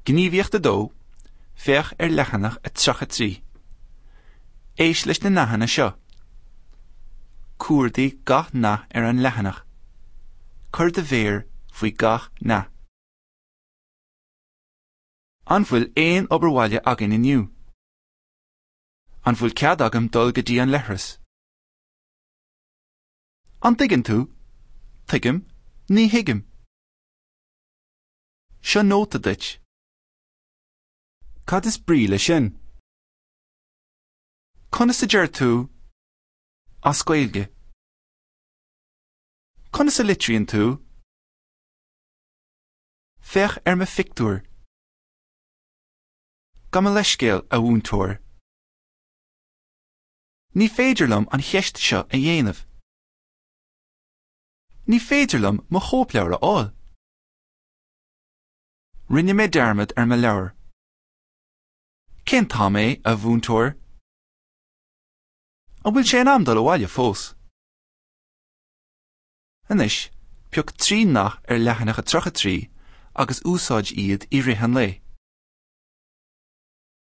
Gníomhaíocht 2, Féach ar leathanach 33. Éist leis na nathanna seo. Cuardaigh gach nath ar an leathanach. Cuir do mhéar faoi gach nath. An bhfuil aon obair bhaile againn inniu? An bhfuil cead agam dul go dtí an leithreas? An dtuigeann tú? Tuigim. Ní thuigim. Seo nóta duit. Cad is brí leis sin? Conas a deir tú as Gaeilge? Conas a litríonn tú? Féach ar mo phictiúr. Gabh mo leithscéal, a mhúinteoir. Ní féidir liom an cheist seo a dhéanamh. Ní féidir liom mo chóipleabhar a fháil. Rinne mé dearmad ar mo leabhar. Cén t-am é, a mhúinteoir? An bhfuil sé in am dul abhaile fós? Anois, pioc 3 nath ar leathanach 33 agus úsáid iad i rith an lae.